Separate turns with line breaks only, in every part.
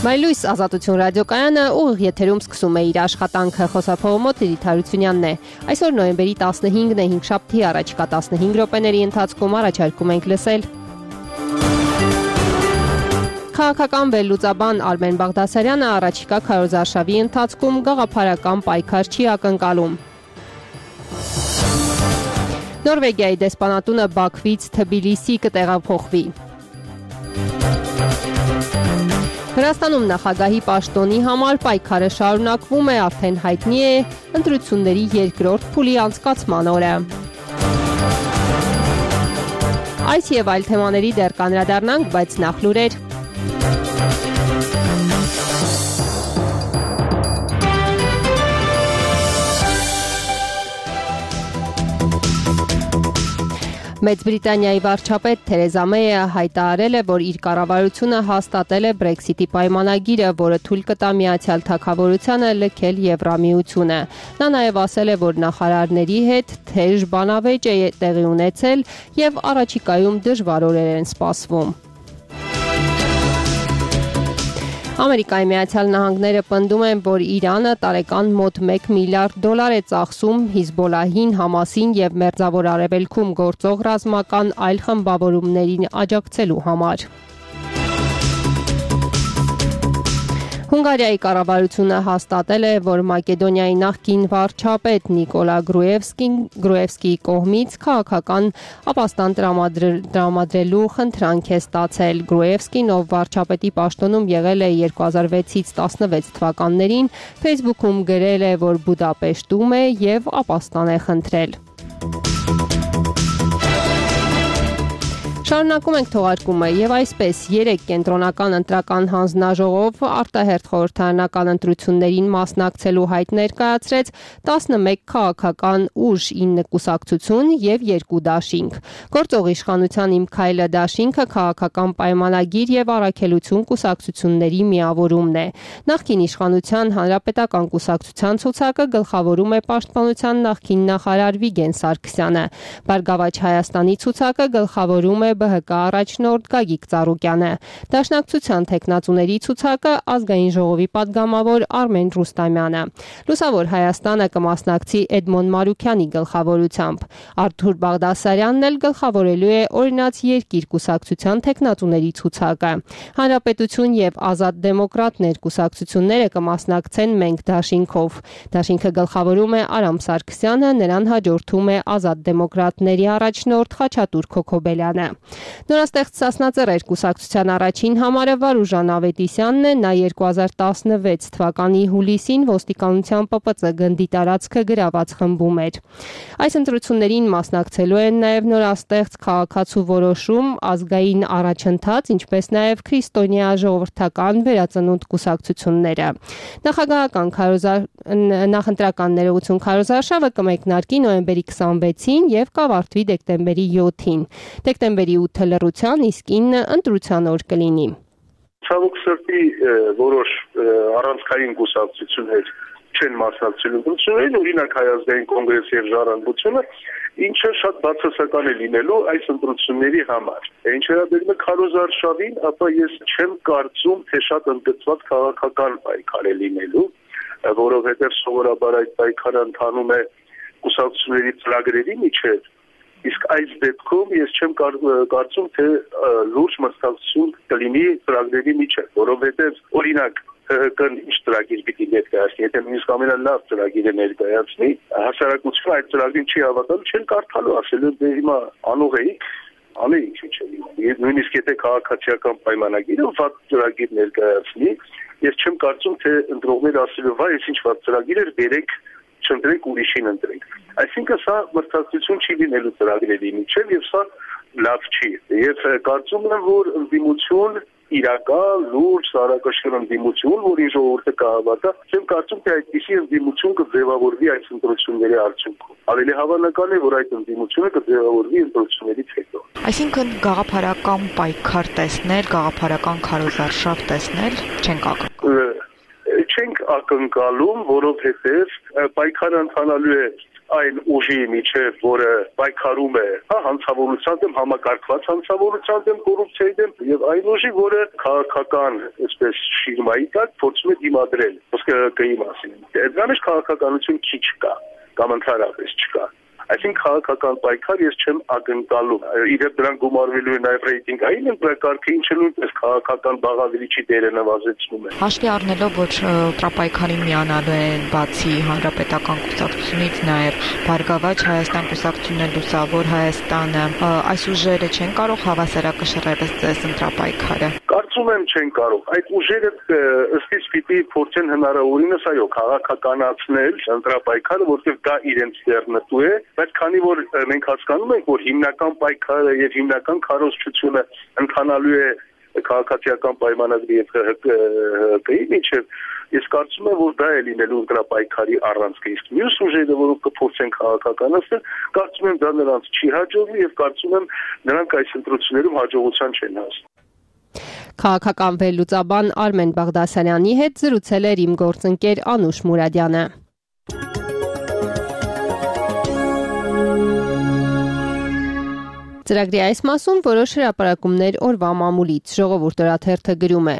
Մայլույս ազատություն ռադիոկայանը ուղիղ եթերում սկսում է իր աշխատանքը, խոսափողոմոտ Լիլիթ Հարությունյանն է։ Այսօր նոյեմբերի 15-ն է, հինգշաբթի, առաջիկա 15 րոպեների ընթացքում առաջարկում ենք լսել քաղաքական վերլուծաբան Արմեն Բաղդասարյանը առաջիկա քարոզարշավի ընթացքում գաղափարական պայքար չի ակնկալում։ Նորվեգիայի դեսպանատունը Բաքվից Թբիլիսի կտեղափոխվի։ Վրաստանում նախագահի պաշտոնի համար պայքարը շարունակվում է, արդեն հայտնի է ընտրությունների երկրորդ փուլի անցկացման օրը։ Այս եւ այլ թեմաների դեռ կանրադառնանք, բայց նախ լուրեր։ Մեծ Բրիտանիայի վարչապետ Թերեզա Մեյը հայտարարել է, որ իր կառավարությունը հաստատել է Brexit-ի պայմանագիրը, որը թույլ կտա Միացյալ Թագավորությանը լքել Եվրամիությունը։ Նա նաև ասել է, որ նախարարների հետ թեժ բանավեճ է տեղի ունեցել եւ առաջիկայում դժվար օրեր են սպասվում։ Ամերիկայի Միացյալ Նահանգները պնդում են, որ Իրանը տարեկան մոտ $1 միլիարդ է ծախսում Հիզբոլլահին, Համասին եւ Մերձավոր Արևելքում գործող ռազմական այլ խմբավորումներին աջակցելու համար։ Հունգարիայի կառավարությունը հաստատել է, որ Մակեդոնիայի նախկին վարչապետ Նիկոլա Գրուևսկիի կողմից քաղաքական ապաստան տրամադրելու խնդրանք է ստացել։ Գրուևսկին, ով վարչապետի պաշտոնում եղել է 2006-ից 16 թվականներին, Facebook-ում գրել է, որ Բուդապեշտում է եւ ապաստան է խնդրել։ Շարունակում ենք թողարկումը եւ այսպես 3 կենտրոնական ընտրական հանձնաժողով արտահերթ խորհրդարանական ընտրություններին մասնակցելու հայտ ներկայացրեց 11 քաղաքական ուժ, 9 կուսակցություն եւ 2 դաշինք։ Գործող իշխանության Իմ քայլը դաշինքը քաղաքական պայմանագիր եւ առաքելություն կուսակցությունների միավորումն է։ Նախկին իշխանության Հանրապետական կուսակցության ցուցակը գլխավորում է Պաշտպանության նախկին նախարար Վիգեն Սարգսյանը։ Բարգավաճ Հայաստանի ցուցակը գլխավորում է ԲՀԿ առաջնորդ Գագիկ Ծառուկյանը։ Դաշնակցության թեկնածուների ցուցակը Ազգային ժողովի падգամավոր Արմեն Ռուստամյանը։ Լուսավոր Հայաստանը կմասնակցի Էդմոն Մարուքյանի գլխավորությամբ։ Արթուր Բաղդասարյանն էլ գլխավորելու է Օրինաց երկիր կուսակցության թեկնածուների ցուցակը։ Հանրապետություն եւ Ազատ դեմոկրատներ կուսակցությունները կմասնակցեն Մենք դաշինքով։ Դաշինքը գլխավորում է Արամ Սարգսյանը, նրան հաջորդում է Ազատ դեմոկրատների առաջնորդ Խաչատուր Քոքոբելյանը։ Նորաստեղծ Սասնածռեր կուսակցության առաջին համարը Վարուժան Ավետիսյանն է, նա 2016 թվականի հուլիսին ոստիկանության ՊՊՑ գնդի տարածքը գրաված խմբում էր։ Այս ընտրություններին մասնակցելու են նաև նորաստեղծ Քաղաքացու որոշում, ազգային առաջընթաց, ինչպես նաև քրիստոնյա ժողովրդական վերածնունդ կուսակցությունները։ Նախագահական նախընտրական ներողություն քարոզարշավը կմեկնարկի նոյեմբերի 26-ին եւ կավարտվի դեկտեմբերի 7-ին։ Դեկտեմբերի 8-ը լռության, իսկ 9-ը ընտրության օր կլինի։
Ցավոք սրտի որոշ առանցքային կուսակցություններ չեն մասնակցելու ընտրություններին, օրինակ Հայ ազգային կոնգրեսի եւ Ժառանգությունը, ինչը շատ բացասական է լինելու այս ընտրությունների համար։ Ինչ վերաբերում է քարոզարշավին, ապա ես չեմ կարծում, թե շատ ընդգծված քաղաքական պայքար է լինելու, որովհետեւ սովորաբար այդ պայքարը ընթանում է կուսակցությունների ծրագրերի միջև, իսկ այս դեպքում ես չեմ կարծում, թե լուրջ մրցակցություն կլինի ծրագրերի միջև, որովհետեւ օրինակ ՀՀԿ-ն ինչ ծրագիր պիտի ներկայացնի, եթե նույնիսկ ամենալավ ծրագիրը ներկայացնի, հասարակությունը այդ ծրագրին չի հավատալու, չեն կարդալու, ասելու դե հիմա անուղեիք, անեիք ինչ է։ Նույնիսկ եթե քաղաքացիական պայմանագիրը վատ ծրագիր ներկայացնի, ես չեմ կարծում, թե ընտրողները ասելու վայ, այս ինչ վատ ծրագիր էր, բերեք չընտրենք ուրիշին ընտրենք։ Այսինքն սա մրցակցություն չի լինելու ծրագրերի միջև եւ սա լավ չի։ Ես կարծում եմ, որ ընդդիմություն իրական լուրջ սարակաշիռ ընդդիմություն, որի ժողովուրդը կհավատա, չեմ կարծում, թե այդպիսի ընդդիմություն կձևավորվի այս ընտրությունների արդյունքում։ Ավելի հավանական է, որ այդ ընդդիմությունը կձևավորվի ընտրություններից հետո։
Այսինքն գաղափարական պայքար տեսնել, գաղափարական քարոզարշավ տեսնել չենք ակնկալում։
Չենք ակնկալում, որովհետև պայքարը ընթանալու է այն ուժի միջև, որը պայքարում է, հանցավորության դեմ, համակարգված հանցավորության դեմ, կոռուպցիայի դեմ, եւ այն ուժի, որը քաղաքական, այսպես շիրմայի տակ փորձում է դիմադրել ՀԿ-ի մասին։ Դրանից քաղաքականություն քիչ կա, կամ ընդհանրապես չկա։ Այսինքն քաղաքական պայքար ես չեմ ակնկալում։ Իդեպ դրան գումարվելու է նաև ռեյտինգային ընտրակարգը, ինչը նույնպես քաղաքական բաղադրիչի դերը նվազեցնում է։
Հաշվի առնելով, որ տրապայքարին միանալու են բացի հանրապետական կուսակցությունից նաև Բարգավաճ Հայաստան կուսակցությունն Լուսավոր Հայաստանը, այս ուժերը չեն կարող հավասարակշռել ըստ ընտրապայքարը։
Կարծում եմ չեն կարող։ Այդ ուժերը ըստ իս պիտի փորձեն հնարավորինս այո քաղաքականացնել ընտրապայքարը, որտեղ դա իրենց ձեռնտու է, բայց քանի որ մենք հասկանում ենք, որ հիմնական պայքարը եւ հիմնական քարոզչությունը ընթանալու է քաղաքացիական պայմանագրի եւ ՀԿ-ի միջև, ես կարծում եմ, որ դա է լինելու ընտրապայքարի առանցքը։ Իսկ մյուս ուժերը, որոնք կփորձեն քաղաքականացնել, կարծում եմ դա նրանց չի հաջողվի եւ կարծում եմ նրանք այս ընտրություններում հաջողության չեն հասնի։
Քաղաքական վերլուծաբան Արմեն Բաղդասարյանի հետ զրուցել էր իմ գործընկեր Անուշ Մուրադյանը։ Ծրագրի այս մասում որոշ հրապարակումներ օրվա մամուլից Ժողովուրդ օրաթերթը գրում է.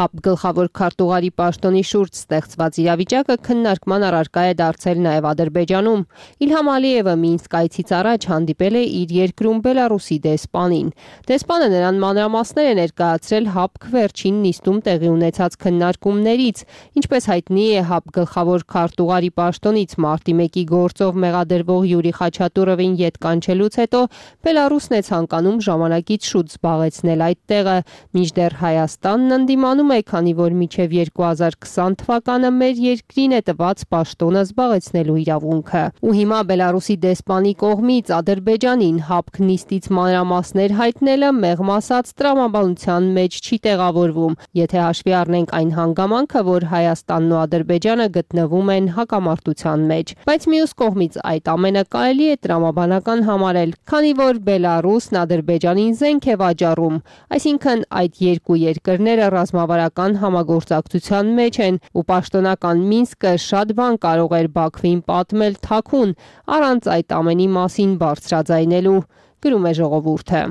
ՀԱՊ գլխավոր քարտուղարի պաշտոնի շուրջ ստեղծված իրավիճակը քննարկման առարկա է դարձել նաև Ադրբեջանում։ Իլհամ Ալիևը Մինսկ այցից առաջ հանդիպել է իր երկրում Բելարուսի դեսպանին։ Դեսպանը նրան մանրամասներ է ներկայացրել ՀԱՊ վերջին նիստում տեղի ունեցած քննարկումներից, ինչպես հայտնի է ՀԱՊ գլխավոր քարտուղարի պաշտոնից մարտի 1-ի գործով մեղադրվող Յուրի Խաչատուրովին ետ կանչելուց հետո Բելարուսն է ցանկանում ժամանակից շուտ զբաղեցնել այդ տեղը, մինչդեռ Հայաստանն ընդդիմանում է, քանի որ մինչև 2020 թվականը մեր երկրին է տված պաշտոնը զբաղեցնելու իրավունքը։ Ու հիմա Բելարուսի դեսպանի կողմից Ադրբեջանին ՀԱՊ նիստից մանրամասներ հայտնելը մեղմ ասած տրամաբանության մեջ չի տեղավորվում, եթե հաշվի առնենք այն հանգամանքը, որ Հայաստանն ու Ադրբեջանը գտնվում են հակամարտության մեջ։ Բայց մյուս կողմից այդ ամենը կարելի է տրամաբանական համարել, քանի որ Բելարուսն Ադրբեջանին զենք է վաճառում, այսինքն այդ երկու երկրները ռազմավարական համագործակցության մեջ են ու պաշտոնական Մինսկը շատ բան կարող էր Բաքվին պատմել թաքուն, առանց այդ ամենի մասին բարձրաձայնելու, գրում է Ժողովուրդը։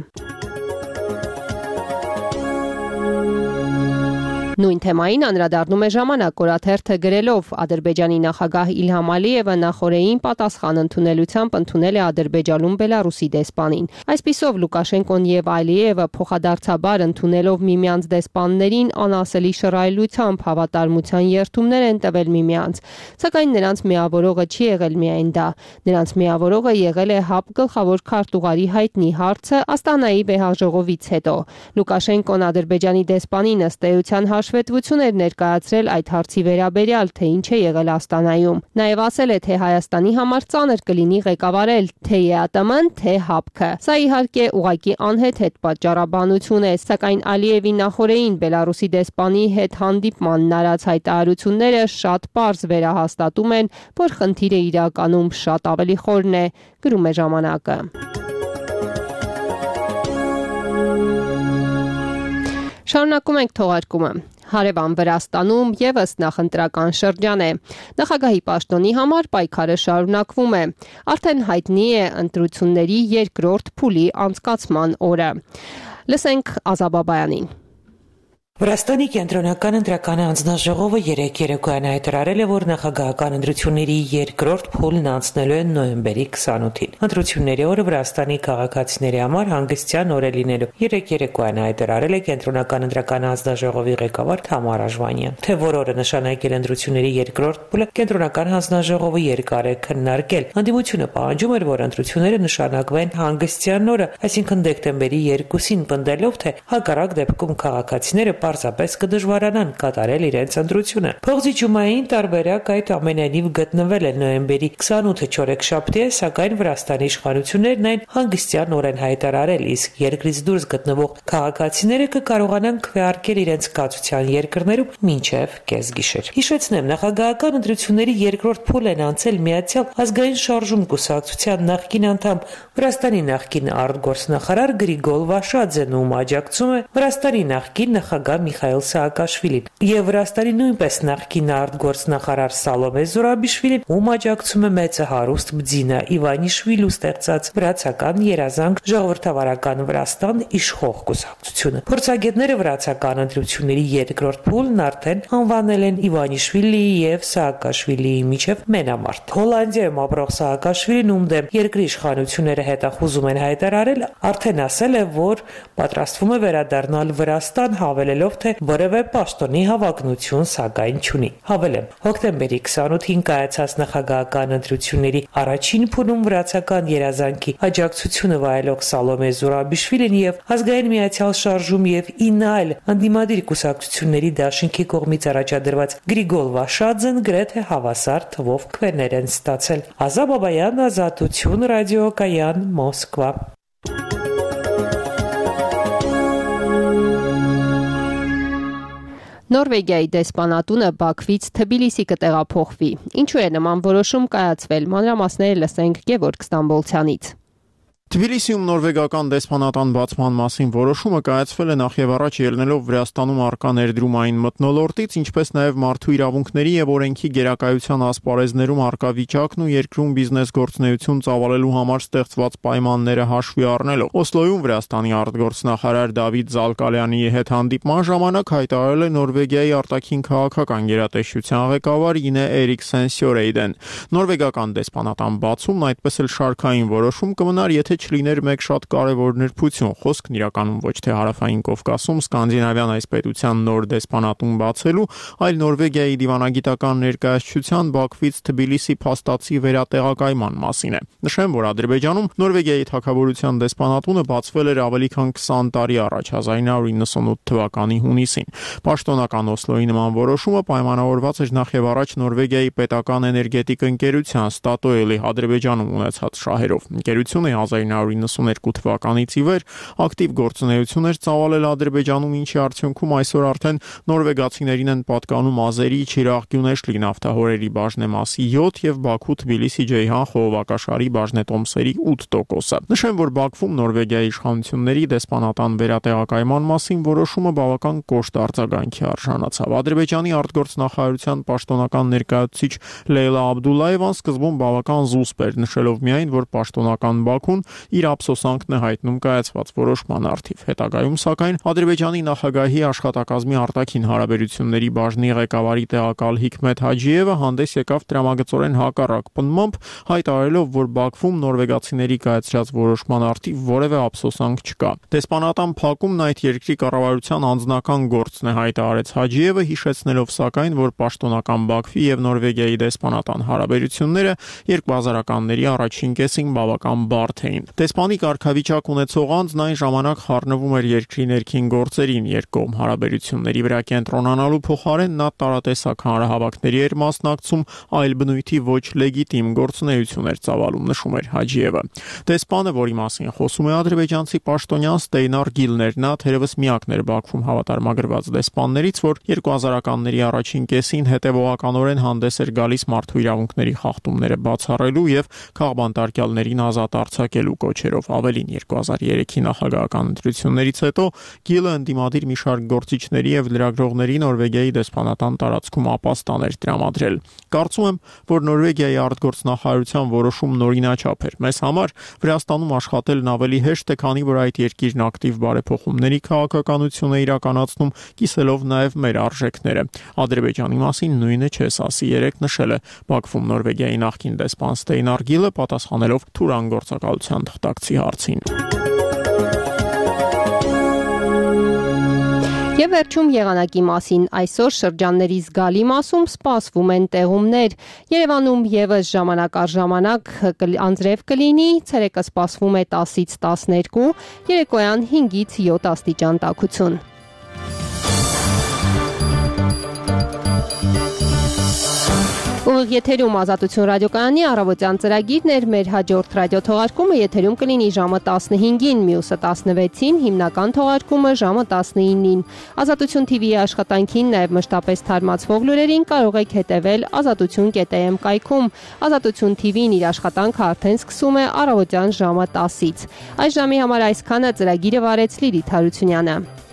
Նույն թեմային անդրադառնում է Ժամանակ օրաթերթը գրելով. Ադրբեջանի նախագահ Իլհամ Ալիևը նախորդին պատասխան ընդունելությամբ ընդունել է Ադրբեջանում Բելարուսի դեսպանին։ Այսպիսով Լուկաշենկոն եւ Ալիևը փոխադարձաբար ընդունելով միմյանց դեսպաններին անասելի շռայլությամբ հավատարմության երդումներ են տվել միմյանց։ Սակայն նրանց միավորողը չի եղել միայն դա։ Նրանց միավորողը եղել է ՀԱՊ գլխավոր քարտուղարի հայտնի հարցը Աստանայի վեհաժողովից հետո։ Լուկաշենկոն Ադրբեջանի դեսպանին ըստ էության հաշվետվություն էր ներկայացրել այդ հարցի վերաբերյալ, թե ինչ է եղել Աստանայում։ Նաև ասել է, թե Հայաստանի համար ծանր կլինի ղեկավարել թե ԵԱՏՄ-ն, թե ՀԱՊԿ-ը։ Սա իհարկե ուղղակի անհեթեթ պատճառաբանություն է, սակայն Ալիևի նախորդին Բելարուսի դեսպանի հետ հանդիպմանն արած հայտարարությունները շատ պարզ վերահաստատում են, որ խնդիրը իրականում շատ ավելի խորն է, գրում է Ժամանակը։ Շարունակում ենք թողարկումը։ Հարևան Վրաստանում եւս նախընտրական շրջան է։ Նախագահի պաշտոնի համար պայքարը շարունակվում է։ Արդեն հայտնի է ընտրությունների երկրորդ փուլի անցկացման օրը։ Լսենք Ազա Բաբայանին։
Վրաստանի կենտրոնական ընտրական հանձնաժողովը երեկ երեկոյան հայտարարել է, որ նախագահական ընտրությունների երկրորդ փուլն անցնելու են նոյեմբերի 28-ին։ Ընտրությունների օրը Վրաստանի քաղաքացիների համար հանգստյան օր է լինելու։ Երեկ երեկոյան հայտարարել է կենտրոնական ընտրական հանձնաժողովի ղեկավար Թամար Աժվանյան։ Թե որ օրը նշանակել ընտրությունների երկրորդ փուլը, կենտրոնական հանձնաժողովը երկար է քննարկել։ Անդիմությունը պահանջում էր, որ ընտրությունները նշանակվեն հանգստյան օրը, այսինքն դեկտեմբերի 2-ին, պնդելով, թե հակառակ դեպքում քաղաքացիները պարզապես կդժվարանան կատարել իրենց ընտրությունը։ Փողջիջումային տարբերակ այդ ամենայնիվ գտնվել է նոյեմբերի 28-ը չորեքշաբթի է, սակայն Վրաստանի իշխանություններն այն հանգստյան օր են հայտարարել, իսկ երկրից դուրս գտնվող քաղաքացիները կկարողանան քվեարկել իրենց կացության երկրներում մինչև կեսգիշեր։ Հիշեցնեմ, նախագահական ընտրությունների երկրորդ փուլն են անցել Միացյալ ազգային շարժում կուսակցության նախկին անդամ Վրաստանի նախկին արտգործնախարար Գրիգոլ Վաշաձեն, ում աջակցում է Վրաստանի նախկին նախագահ նախագահ Միխայիլ Սաակաշվիլին եւ Վրաստանի նույնպես նախկին արտգործնախարար Սալոմե Զուրաբիշվիլին, ում աջակցում է մեծը հարուստ Բձինա Իվանիշվիլու ստեղծած վրացական երազանք ժողովրդավարական Վրաստան իշխող կուսակցությունը։ Փորձագետները վրացական ընտրությունների երկրորդ փուլն արդեն անվանել են Իվանիշվիլիի եւ Սաակաշվիլիի միջև մենամարտ։ Հոլանդիայում ապրող Սաակաշվիլին, ում դեմ երկրի իշխանությունները հետախուզում են հայտարարել, արդեն ասել է, որ պատրաստվում է վերադառնալ Վրաստան, հավելելով, թե որևէ պաշտոնի հավակնություն սակայն չունի։ Հավելեմ, հոկտեմբերի 28-ին կայացած նախագահական ընտրությունների առաջին փուլում վրացական երազանքի աջակցությունը վայելող Սալոմե Զուրաբիշվիլին եւ Ազգային միացյալ շարժում եւ 9 այլ անդիմադիր կուսակցությունների դաշինքի կողմից առաջադրված Գրիգոլ Վաշաձեն գրեթե հավասար թվով քվեներ են ստացել։ Ազա Բաբայան, Ազատություն, ռադիոկայան, Մոսկվա։
Նորվեգիայի դեսպանատունը Բաքվից Թբիլիսի կտեղափոխվի։ Ինչու է նման որոշում կայացվել? Մանրամասները լսենք Գևորգ Ստամբոլցյանից։
Թբիլիսիում նորվեգական դեսպանատան բացման մասին որոշումը կայացվել է նախ եւ առաջ ելնելով Վրաստանում առկա ներդրումային մթնոլորտից, ինչպես նաեւ մարդու իրավունքների եւ օրենքի գերակայության ասպարեզներում առկա վիճակն ու երկրում բիզնես գործունեություն ծավալելու համար ստեղծված պայմանները հաշվի առնելով։ Օսլոյում Վրաստանի արտգործնախարար Դավիթ Զալկալյանի հետ հանդիպման ժամանակ հայտարարել է Նորվեգիայի արտաքին քաղաքական գերատեսչության ղեկավար Ինե Էրիկսեն Սյորեյդեն։ Նորվեգական դեսպանատան բացումն այդպես էլ շարքային որոշում կմնար, եթե չլիներ մեկ շատ կարևոր նրբություն։ Խոսքն իրականում ոչ թե Հարավային Կովկասում սկանդինավյան այս պետության նոր դեսպանատուն բացելու, այլ Նորվեգիայի դիվանագիտական ներկայացչության Բաքվից Թբիլիսի փաստացի վերատեղակայման մասին է։ Նշեմ, որ Ադրբեջանում Նորվեգիայի թագավորության դեսպանատունը բացվել էր ավելի քան 20 տարի առաջ, 1998 թվականի հունիսին։ Պաշտոնական Օսլոյի նման որոշումը պայմանավորված էր նախ եւ առաջ Նորվեգիայի պետական էներգետիկ ընկերության Ստատոյելի Ադրբեջանում ունեցած շահերով։ Ընկերությունը 1992 թվականից ի վեր ակտիվ գործունեություն էր ծավալել Ադրբեջանում, ինչի արդյունքում այսօր արդեն նորվեգացիներին են պատկանում Ազերի, Չիրաղ, Գյունեշլի նավթահորերի բաժնեմասի 7 եւ Բաքու Թբիլիսի Ջեյհան խողովակաշարի բաժնետոմսերի 8%-ը։ Նշեմ, որ Բաքվում Նորվեգիայի իշխանությունների դեսպանատան վերատեղակայման մասին որոշումը բավական կոշտ արձագանքի արժանացավ։ Ադրբեջանի արտգործնախարարության պաշտոնական ներկայացուցիչ Լեյլա Աբդուլլայևան սկզբում բավական զուսպ էր, նշելով միայն, որ պաշտոնական Բաքուն իր ափսոսանքն է հայտնում կայացված որոշման առթիվ։ Հետագայում, սակայն, Ադրբեջանի նախագահի աշխատակազմի արտաքին հարաբերությունների բաժնի ղեկավարի տեղակալ Հիկմետ Հաջիևը հանդես եկավ տրամագծորեն հակառակ պնդմամբ, հայտարարելով, որ Բաքվում նորվեգացիների կայացրած որոշման առթիվ որևէ ափսոսանք չկա։ Դեսպանատան փակումն այդ երկրի կառավարության անձնական գործն է, հայտարարեց Հաջիևը, հիշեցնելով սակայն, որ պաշտոնական Բաքվի եւ Նորվեգիայի դեսպանատան հարաբերությունները 2000-ականների առաջին կեսին բավական բարդ էին։ Դեսպանի կարգավիճակ ունեցող անձն այն ժամանակ խառնվում էր երկրի ներքին գործերին, երկկողմ հարաբերությունների վրա կենտրոնանալու փոխարեն նա տարատեսակ հանրահավաքների էր մասնակցում, այլ բնույթի ոչ լեգիտիմ գործունեություն էր ծավալում, նշում էր Հաջիևը։ Դեսպանը, որի մասին խոսում է ադրբեջանցի պաշտոնյան Ստեյնար Գիլներ, նա թերևս միակն էր Բաքվում հավատարմագրված դեսպաններից, որ 2000-ականների առաջին կեսին հետևողականորեն հանդես էր գալիս մարդու իրավունքների խախտումները բացառելու եւ քաղբանտարկյալներին ազատ արձակելու կոչերով։ Ավելին, 2003-ի նախագահական ընտրություններից հետո Գիլը ընդդիմադիր մի շարք գործիչների եւ լրագրողների Նորվեգիայի դեսպանատան տարածքում ապաստան էր տրամադրել։ Կարծում եմ, որ Նորվեգիայի արտգործնախարարության որոշումն օրինաչափ էր։ Մեզ համար Վրաստանում աշխատելն ավելի հեշտ է, քանի որ այդ երկիրն ակտիվ բարեփոխումների քաղաքականություն է իրականացնում, կիսելով նաեւ մեր արժեքները։ Ադրբեջանի մասին նույնը չես ասի, երեք նշել է Բաքվում Նորվեգիայի նախկին դեսպան Ստեյնար Գիլը, պատասխանելով Թուրան գործակալության թղթակցի հարցին։
Եվ վերջում եղանակի մասին այսօր շրջանների զգալի մասում սպասվում են տեղումներ։ Երևանում եւս ժամանակ առ ժամանակ անձրև կլինի, ցերեկը սպասվում է 10-ից 12, երեկոյան 5-ից 7 աստիճան տաքություն։ Ուղիղ եթերում Ազատություն ռադիոկայանի առավոտյան ծրագիրն էր, մեր հաջորդ ռադիոթողարկումը եթերում կլինի ժամը 15-ին, մյուսը 16-ին, հիմնական թողարկումը ժամը 19-ին։ Ազատություն TV-ի աշխատանքին, նաև մշտապես թարմացվող լուրերին կարող եք հետևել azatutun.am կայքում։ Ազատություն TV-ն իր աշխատանքը արդեն սկսում է առավոտյան ժամը 10-ից։ Այս ժամի համար այսքանը, ծրագիրը վարեց Լիլիթ Հարությունյանը։